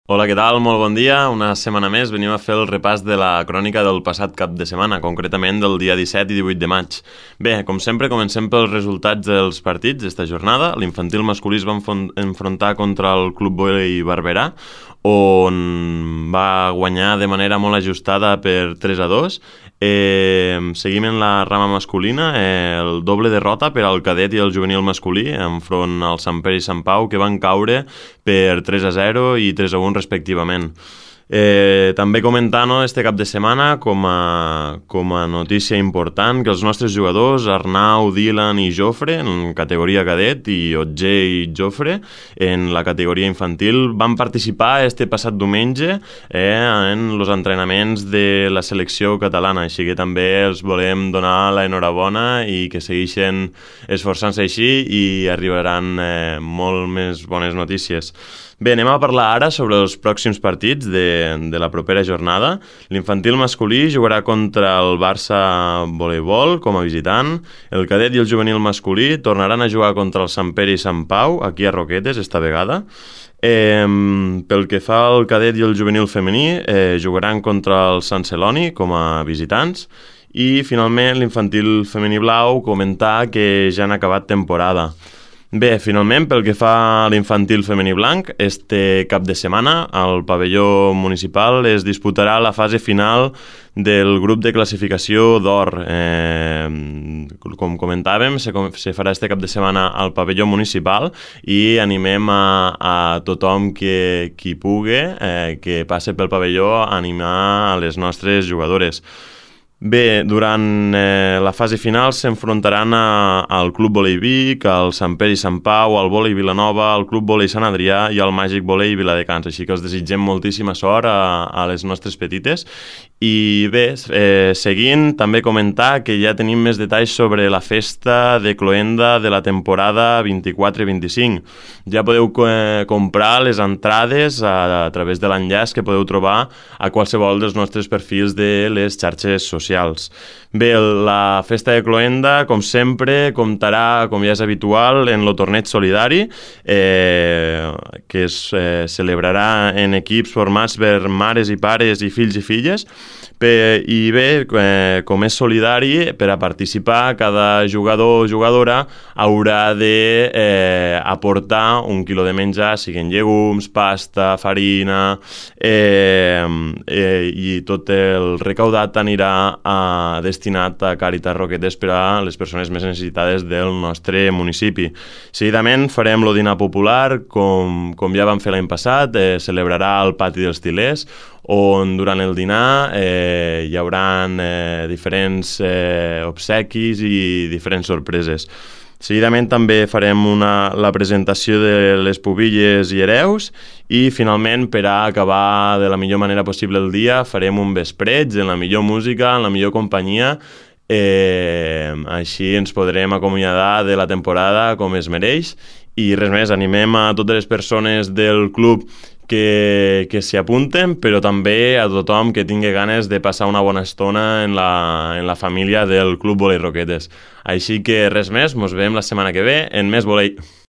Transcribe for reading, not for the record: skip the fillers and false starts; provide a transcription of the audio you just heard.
Hola, què tal? Molt bon dia. Una setmana més venim a fer el repàs de la crònica del passat cap de setmana, concretament del dia 17 i 18 de maig. Bé, com sempre, comencem pels resultats dels partits d'esta jornada. L'infantil masculí es va enfrontar contra el Club Volei Barberà, on va guanyar de manera molt ajustada per 3-2. Seguim en la rama masculina, el doble derrota per al cadet i el juvenil masculí enfront al Sant Pere i Sant Pau, que van caure per 3-0 i 3-1 respectivament. També comentar este cap de setmana com a notícia important que els nostres jugadors Arnau, Dylan i Jofre en categoria cadet i Otger i Jofre en la categoria infantil van participar este passat diumenge en els entrenaments de la selecció catalana, així que també els volem donar l'enhorabona i que segueixen esforçant-se així i arribaran molt més bones notícies. Bé, anem a parlar ara sobre els pròxims partits de la propera jornada. L'infantil masculí jugarà contra el Barça Voleibol com a visitant. El cadet i el juvenil masculí tornaran a jugar contra el Sant Pere i Sant Pau, aquí a Roquetes, esta vegada. Pel que fa al cadet i el juvenil femení, jugaran contra el Sant Celoni com a visitants. I finalment l'infantil femení blau comentar que ja han acabat temporada. Bé, finalment, pel que fa a l'infantil femení blanc, este cap de setmana al pavelló municipal es disputarà la fase final del grup de classificació d'or. Com comentàvem, se farà este cap de setmana al pavelló municipal i animem a tothom qui pugui, que passe pel pavelló, a animar a les nostres jugadores. Bé, durant la fase final s'enfrontaran al Club Volei Vic, al Sant Pere i Sant Pau, al Volei Vilanova, al Club Volei Sant Adrià i al Màgic Volei Viladecans, així que els desitgem moltíssima sort a les nostres petites. I bé, seguint, també comentar que ja tenim més detalls sobre la festa de cloenda de la temporada 24-25. Ja podeu comprar les entrades a través de l'enllaç que podeu trobar a qualsevol dels nostres perfils de les xarxes socials. Bé, la festa de cloenda, com sempre, comptarà, com ja és habitual, en el torneig solidari, que es celebrarà en equips formats per mares i pares i fills i filles. I bé, com és solidari, per a participar cada jugador o jugadora haurà d'aportar 1 quilo de menjar, siguin llegums, pasta, farina, i tot el recaudat anirà destinat a Càritas Roquetes per a les persones més necessitades del nostre municipi. Seguidament farem el dinar popular, com ja vam fer l'any passat, celebrarà al pati dels Tilers, on durant el dinar hi haurà diferents obsequis i diferents sorpreses. Seguidament també farem la presentació de les pubilles i hereus i finalment, per a acabar de la millor manera possible el dia, farem un vespreig en la millor música, en la millor companyia. Així ens podrem acomiadar de la temporada com es mereix. I res més, animem a totes les persones del club que s'hi apunten, però també a tothom que tingui ganes de passar una bona estona en la família del Club Volei Roquetes. Així que res més, mos veiem la setmana que ve en Més Volei.